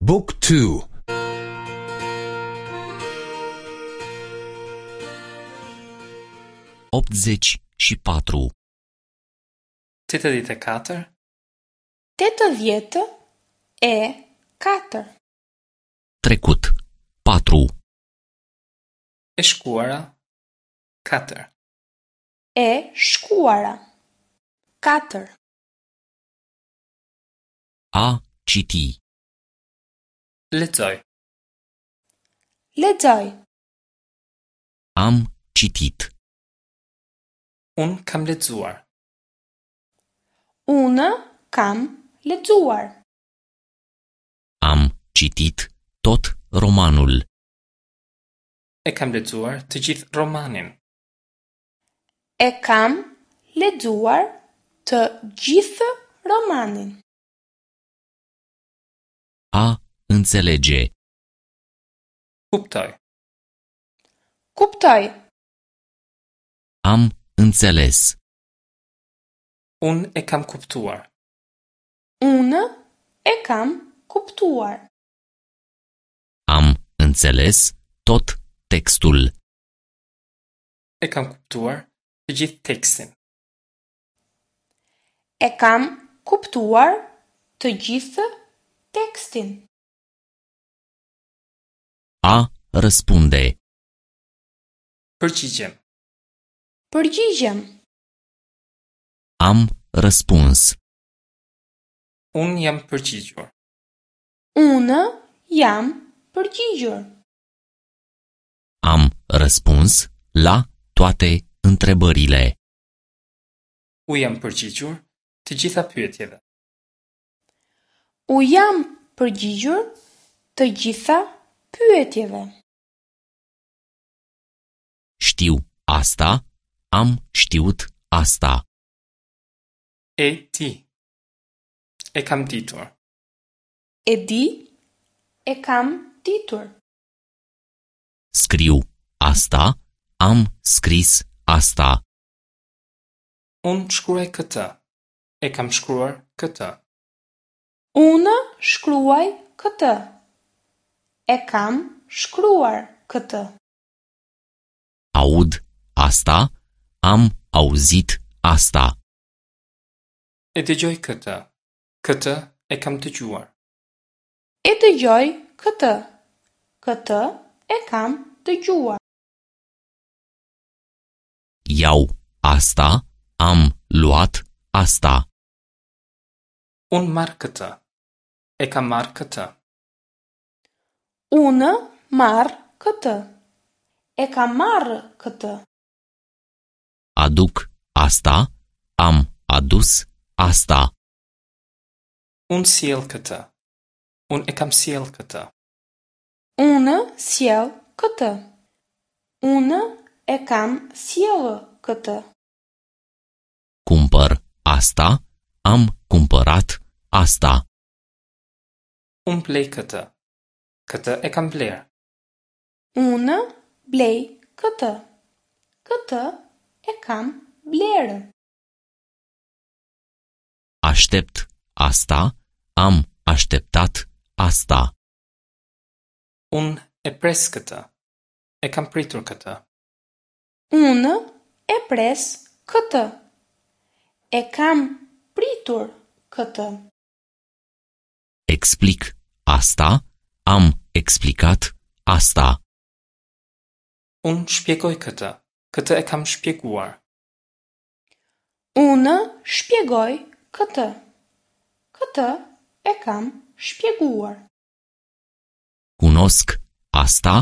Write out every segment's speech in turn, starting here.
บุ๊กทู 84. 84. 84. Trecut. 4. E shkuara. 4. E shkuara. 4. A citi. Lexoj. Lexoj. Am citit. Unë kam lexuar. Unë kam lexuar. Am citit tot romanul. E kam lexuar të gjithë romanin. E kam lexuar të gjithë romanin. A înțelege. Kuptoj. Kuptoj. Am înțeles. Unë e kam kuptuar. Unë e kam kuptuar. Am înțeles tot textul. E kam kuptuar të gjithë tekstin. E kam kuptuar të gjithë tekstin. A răspunde. Përgjigjem. Përgjigjem. Am răspuns. Unë jam përgjigjur. Unë jam përgjigjur. Am răspuns la toate întrebările. U jam përgjigjur të gjitha pyetjeve. U jam përgjigjur të gjitha pyetjeve. Știu asta, am știut asta. E di. E kam ditur. E di, e kam ditur. Scriu asta, am scris asta. Unë shkruaj këtë. E kam shkruar këtë. Unë shkruaj këtë. E kam shkruar këtë. Aud asta, am auzit asta. E dëgjoj këtë. Këtë e kam dëgjuar. E dëgjoj këtë. Këtë e kam dëgjuar. Iau asta, am luat asta. Unë marr këtë. E kam marrë këtë. Unë marr këtë. E kam marrë këtë. Aduc asta, am adus asta. Unë sjell këtë. Unë e kam sjell këtë. Unë sjell këtë. Unë e kam sjellë këtë. Cumpăr asta, am cumpărat asta. Unë blej këtë. Këtë e kam blerë. Unë blej këtë. Këtë e kam blerë. Aștept asta, am așteptat asta. Unë e pres këtë. E kam pritur këtë. Unë e pres këtë. E kam pritur këtë. Explic asta, am explicat asta. Unë shpjegoj këtë. Këtë e kam shpjeguar. Unë shpjegoj këtë. Këtë e kam shpjeguar. Cunosc asta,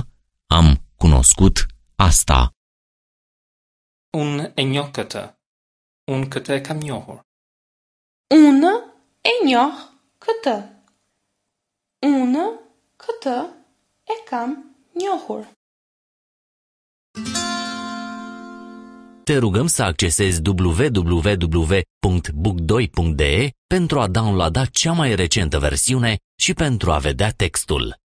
am cunoscut asta. Unë e njoh këtë. Unë këtë e kam njohur. Unë e njoh këtë. Unë këtë e kam njohur. Te rugăm să accesezi www.book2.de pentru a downloada cea mai recentă versiune și pentru a vedea textul.